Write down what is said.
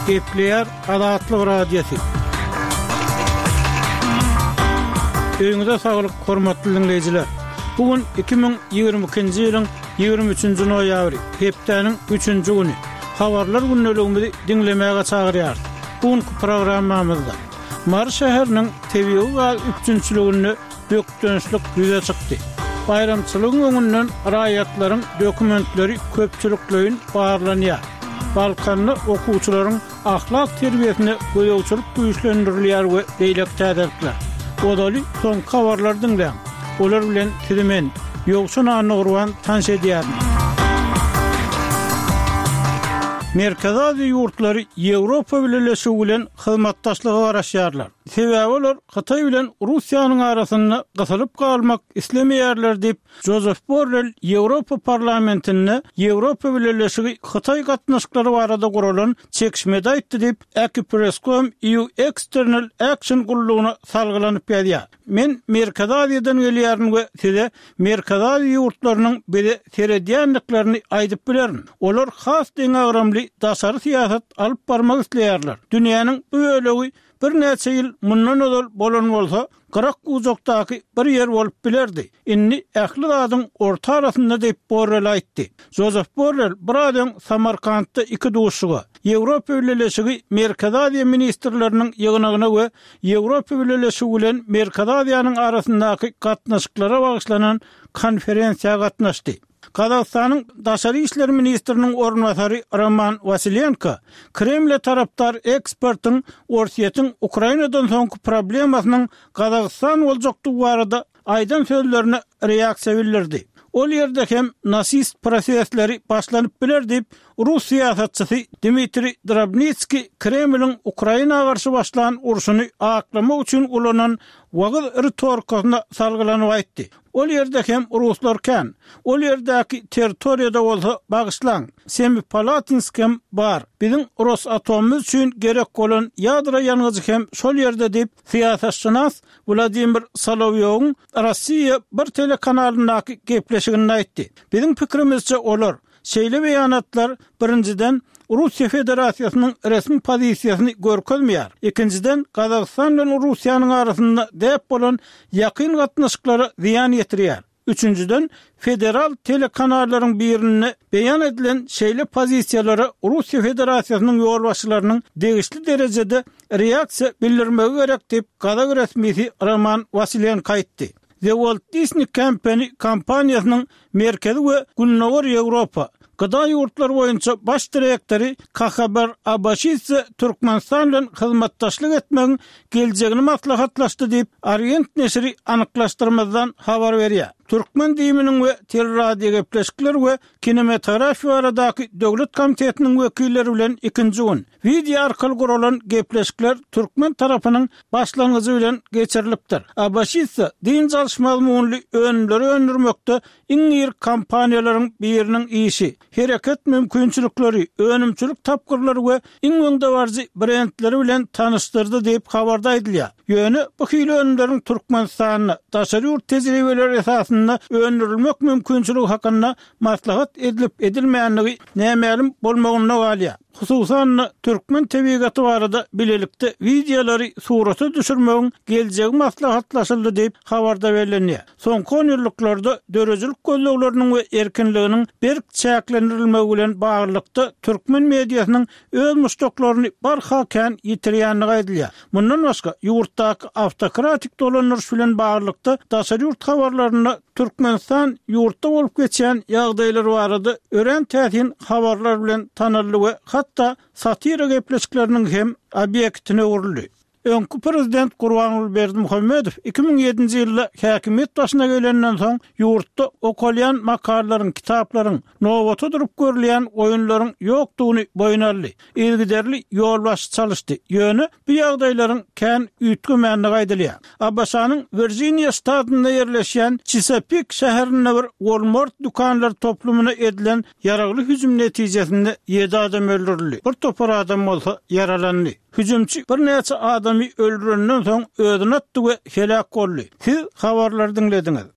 Gepleýär Azatlyk Radiosy. Öýüňize saglyk, hormatly diňleýjiler! Bu gün 2022-nji ýylyň 23-nji noýabry, hepdäniň üçünji güni. Habarlar gündeligimizi diňlemäge çagyrýarys. Bu günki programmamyzda Mary şäheriniň tebigy gaz üpjünçiliginde bökdençlik ýüze çykdy. Baýramçylygyň öňünden raýatlaryň dokumentleri köpçülikleýin barlanýar. Balkanda okuwçylaryň ahlak terbiýesine gözegçilik güýçlendirilýär we beýleki täzelikler. Ozaly soňky habarlary diňläň. Olar bilen sizi men, Ýowşan Annagurban tanyş edýärin. Merkezi Aziýa ýurtlary Ýewropa Bileleşigi bilen hyzmatdaşlyga garaşýarlar. Sebäbi olar Hytaý bilen Russiýanyň arasynda gysylyp galmak islemeýärler diýip, Jozef Borrel Ýewropa Parlamentinde Ýewropa Bileleşigi-Hytaý gatnaşyklary barada guralan çekişmede aýtdy diýip, Akipress.com EU External Action gullugyna salgylanyp ýazýar. Men Merkezi Aziýadan gelýärin we size Merkezi Aziýa ýurtlarynyň bize seredýändiklerini aýdyp bilerin. Olar has deňagramly daşary syýasat alyp barmak isleýärler. Dünýäniň bu bölegi Birnäçe ýyl mundan ozal bolan bolsa, gyrak-bujakdaky bir ýer bolup bilerdi. Indi ähli zadyň orta arasynda diýip, Borrel aýtdy. Jozef Borrel biraz öň Samarkantda iki duşuşyga, Ýewropa Bileleşigi Merkezi Aziýa ministrleriniň ýygnagyna we Ýewropa Bileleşigi bilen Merkezi Aziýanyň arasyndaky gatnaşyklara bagyşlanan konferensiýa gatnaşdy. Gazagystanyň daşary işler ministriniň orunbasary Roman Wasilenko Kremle tarapdar ekspertiň Orsýetiň Ukrainadan soňky problemasynyň Gazagystan boljakdygy barada aýdan sözlerine reaksiýa bildirdi. Ol ýerde hem nasist prosesleri başlanyp biler diýip, rus syýasatçysy Dmitriý Drobnitskiý Kremliň Ukraina garşy başlan urşuny aklamak üçin ulanan wagyz ritorikasyna salgylanyp aýtdy. Ol ýerde hem ruslar kän. Ol ýerdäki territoriýada bolsa, bagyşlaň, Semipalatinsk hem bar. Biziň Rosatomymyz üçin gerek bolan ýadro ýangyjy hem şol ýerde diýip, syýasatşynas Wladimir Solowýowyň Rossiýa bir telekanalyndaky gepleşiginde aýtdy. Biziň pikirimizçe, olar, Şeýle beýanatlar, birinjiden, Russiýa Federasiýasynyň resmi pozisiýasyny görkezmeýär, ikinjiden, Gazagystan bilen Russiýanyň arasynda däp bolan ýakyn gatnaşyklara zyýan ýetirýär, üçünjiden, federal telekanallaryň birinde beýan edilen şeýle pozisiýalara Russiýa Federasiýasynyň ýolbaşçylarynyň degişli derejede reaksiýa bildirmegi gerek diýip, gazak resmisi Roman Wasilenko aýtdy. The Walt Disney Company kompaniýasynyň Merkezi we Gündogar Ýewropa, GDA ýurtlary boýunça baş direktory Kahabar Abaşidze Türkmenistan bilen hyzmatdaşlyk etmegiň geljegini maslahatlaşdy diýip, Orient neşiri anyklaşdyrmazdan habar berýär. Türkmen DIM-niň we Teleradiogepleşikler we kinematografiýa baradaky döwlet komitetiniň wekilleri bilen ikinji gün wideo arkaly guralan gepleşikler türkmen tarapynyň başlangyjy bilen geçirilipdir. Abaşidze dynç alyş mazmunly önümleri öndürmekde iň iri kompaniýalaryň biriniň işi, hereket mümkinçilikleri, önümçilik tapgyrlary we iň öňdebaryjy brendleri bilen tanyşdyrdy diýip habarda aýdylýar. Ýöne bu hili önümleriň Türkmenistanda daşary ýurt tejribeleri esasynda öndürilmek mümkinçiligi hakynda maslahat edilip-edilmändigi nämälim bolmagynda galýar. Hususan-da, türkmen tebigaty barada bilelikde wideolary surata düşürmegiň geljegi maslahatlaşyldy diýip, habarda bellenýär. Soňky onýyllyklarda döredijilik gözlegleriniň we erkinliginiň berk çäklendirilmegi bilen baglylykda türkmen mediasynyň öz muşdaklaryny barha kän ýitirýändigi aýdylýar. Mundan başga, ýurtdaky awtokratik dolandyryş bilen baglylykda daşary ýurt habarlarynda Türkmenistan ýurtda bolup geçýän ýagdaýlar barada örän täsin habarlar bilen tanaldy we hatda satira gepleşikleriniň hem obýektine öwrüldi. Öňki prezident Gurbanguly Berdimuhamedow 2007-nji ýylda häkimiýet başyna gelenden soň ýurtda okalýan makalalaryň, kitaplaryň, nobata durup görülýän oýunlaryň ýokdugyny boýun aldy. Yzygiderli ýolbaşçy çalyşdy. Ýöne bu ýagdaýlaryň kän üýtgemändigi aýdylýar. ABŞ-nyň Wirjiniýa ştatynda ýerleşýän Çisapik şäherinde bir Walmart dükanlar toplumyna edilen ýaragly hüjüm netijesinde ýedi adam öldürildi, bir topar adam bolsa ýaralandy. Hüjümçi birnäçe adamy öldürenden soň özüni atdy we heläk boldy. Siz habarlary diňlediňiz.